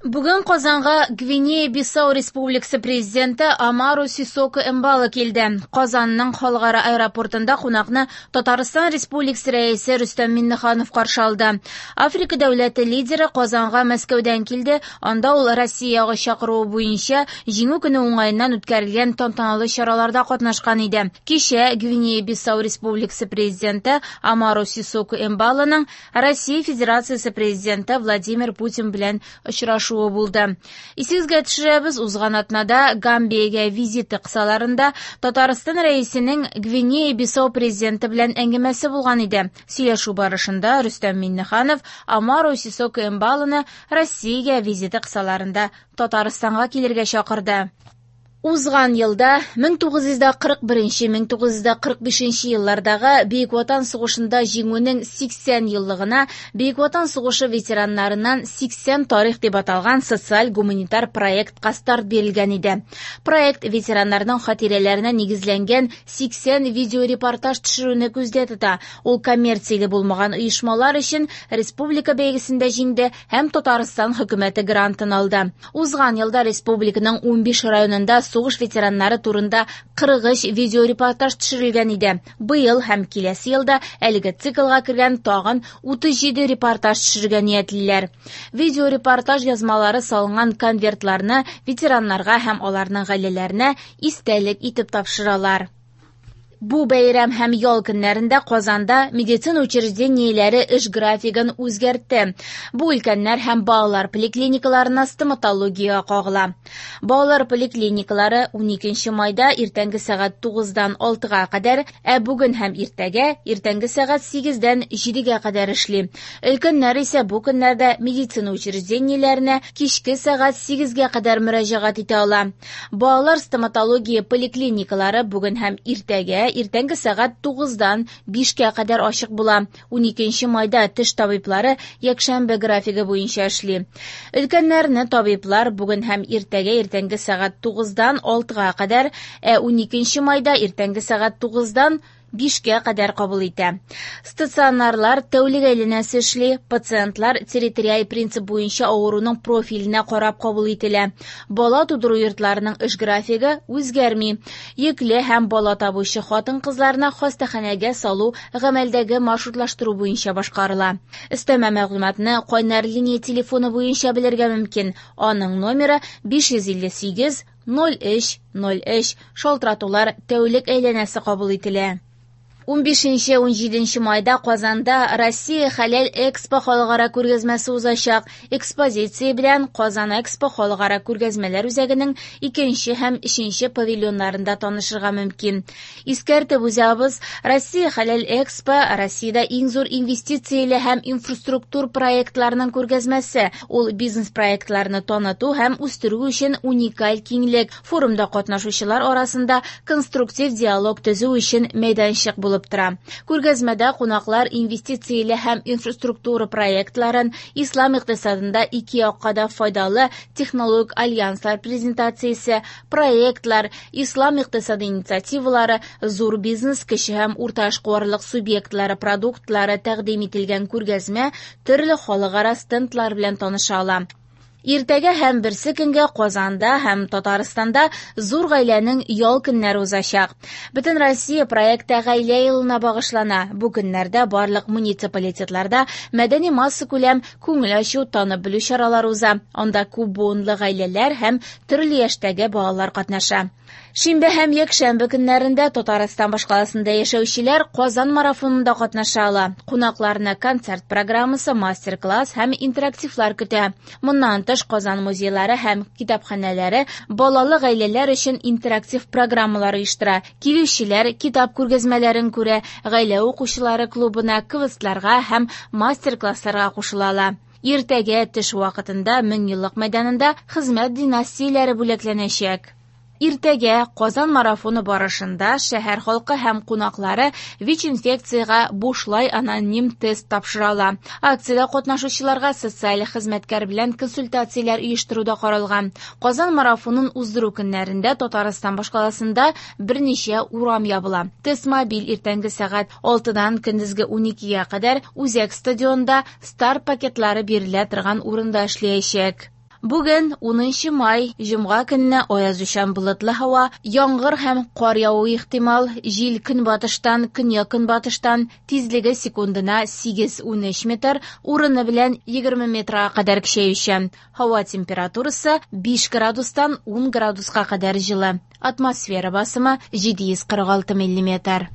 Бүген Казанга Гвинея-Бисау Республикасы президенты Амару Сисоко Эмбало килде. Казанның халыкара аэропортында кунакны Татарстан Республикасы Рәисе Рөстәм Миңнеханов каршы алды. Африка дәүләте лидеры Казанга Мәскәүдән килде. Анда ул Россия ягы чакыруы буенча Җиңү көне уңаеннан үткәрелгән тантаналы чараларда катнашкан иде. Кичә Гвинея-Бисау Республикасы президенты Амару Сисоко Эмбалоның Россия Федерациясе президенты Владимир Путин белән очрашуы булды. Исегезгә төшерәбез, узган атнада Гамбиягә визиты кысаларында Татарстан Рәисенең Гвинея-Бисау президенты белән әңгәмәсе булган иде. Сөйләшү барышында Рөстәм Миңнеханов Амару Сисоко Эмбалоны Россиягә визиты кысаларында Татарстанга килергә чакырды. Узган елда 1941-1945 еллардагы Бөек Ватан сугышында җиңүнең 80 еллыгына Бөек Ватан сугышы ветераннарыннан 80 тарих дип аталган социаль-гуманитар проектка старт бирелгән иде. Проект ветераннарның хатирәләренә нигезләнгән 80 видеорепортаж төшерүне күздә тота. Ул коммерцияле булмаган оешмалар өчен республика бәйгесендә җиңде һәм Татарстан хөкүмәте грантын алды. Узган елда республиканың 15 районында сугыш ветераннары турында 43 видеорепортаж төшерелгән иде. Быел һәм киләсе елда әлеге циклга кергән тагын 37 репортаж төшерергә ниятлиләр. Видеорепортаж язмалары салынган конвертларны ветераннарга һәм аларның гаиләләренә истәлек итеп тапшыралар. Бу бәйрәм һәм ял көннәрендә Казанда медицина учреждениеләре эш графигын үзгәртте. Бу өлкәннәр һәм балалар поликлиникаларына стоматологиягә кагыла. Балалар поликлиникалары 12 майда иртәнге сәгать 9-дан 6-га кадәр, ә бүген һәм иртәгә иртәнге сәгать 8-дән 7-гә кадәр эшли. Өлкәннәр исә бу көннәрдә медицина учреждениеләренә кичке сәгать 8-гә кадәр мөрәҗәгать итә ала. Балалар стоматология поликлиникалары бүген һәм иртәгә иртәнге сәгать 9-дан 5-кә кадәр ачык була. 12 майда теш табиблары якшәмбе графигы буенча эшли. Өлкәннәрне табиблар бүген һәм иртәгә иртәнге сәгать 9-дан 6-га кадәр, ә 12 майда иртәнге сәгать 9-дан 5-кә кадәр кабул итә. Стационарлар тәүлек әйләнәсе эшли. Пациентлар территориаль принцип буенча авыруның профиленә карап кабул ителә. Бала тудыру йортларының эш графигы үзгәрми. Йөкле һәм бала табучы хатын-кызларны хастаханәгә салу гамәлдәге маршрутлаштыру буенча башкарыла. Өстәмә мәгълүматны кайнар линия телефоны буенча белергә мөмкин. Аның номеры 558 03 03. Шалтыратулар тәүлек әйләнәсе кабул ителә. 15-17 майда Казанда Россия Хәләл Экспо халыкара күргәзмәсе узачак. Экспозиция белән Казан Экспо халыкара күргәзмәләр үзәгенең 2 һәм 3 павильоннарында танышырга мөмкин. Искәртеп узабыз, Россия Хәләл Экспо Россиядә иң зур инвестицияле һәм инфраструктур проектларының күргәзмәсе. Ул бизнес проектларны таныту һәм үстерү өчен уникаль киңлек. Форумда катнашучылар арасында конструктив диалог төзү өчен мәйданчык булып тора. Күргәзмәдә кунаклар инвестицияле һәм инфраструктура проектларын, ислам икътисадында ике якка да файдалы технологик альянслар презентациясе, проектлар, ислам икътисады инициативалары, зур бизнес, кече һәм урта эшкуарлык субъектлары продуктлары тәкъдим ителгән күргәзмә төрле халыкара стендлар белән таныша ала. Иртәгә һәм берсе көнгә Казанда һәм Татарстанда зур гаиләнең ял көннәре узачак. Бөтен Россия проекты гаилә елына багышлана. Бу көннәрдә барлык муниципалитетларда мәдәни массакүләм күңел ачу, танып белү чаралары уза. Анда күп буынлы гаиләләр һәм төрле яшьтәге балалар катнаша. Шимбә һәм якшәмбе көннәрендә Татарстан башкаласында яшәүчеләр Казан марафонында катнаша ала. Кунакларны концерт программасы, мастер-класс һәм интерактивлар көтә. Моннан тыш Казан музейлары һәм китапханәләре балалы гаиләләр өчен интерактив программалар оештыра. Килүчеләр китап күргәзмәләрен күрә, гаилә укучылары клубына, квестларга һәм мастер-классларга кушыла ала. Иртәгә төш вакытында Меңьеллык мәйданында хезмәт династияләре бүләкләнәчәк. Иртәгә Казан марафоны барышында шәһәр халкы һәм кунаклары ВИЧ-инфекциягә бушлай аноним тест тапшыра ала. Акциядә катнашучыларга социаль хезмәткәр белән консультацияләр оештыру да каралган. Казан марафонын уздыру көннәрендә Татарстан башкаласында берничә урам ябыла. Тест мобиль иртәнге сәгать 6-дан көндезге 12-гә кадәр Үзәк стадионда старт пакетлары бирелә торган урында эшләячәк. Бүген, унынчы май, җомга көнне аязучан болытлы һава, яңгыр һәм кар явуы ихтимал, җил көнбатыштан, көньяк-көнбатыштан, тизлеге секундына 8-13 метр, урыны белән 20 метрга кадәр көчәючән. Һава температурасы 5 градустан 10 градуска кадәр җылы. Атмосфера басымы 746 миллиметр.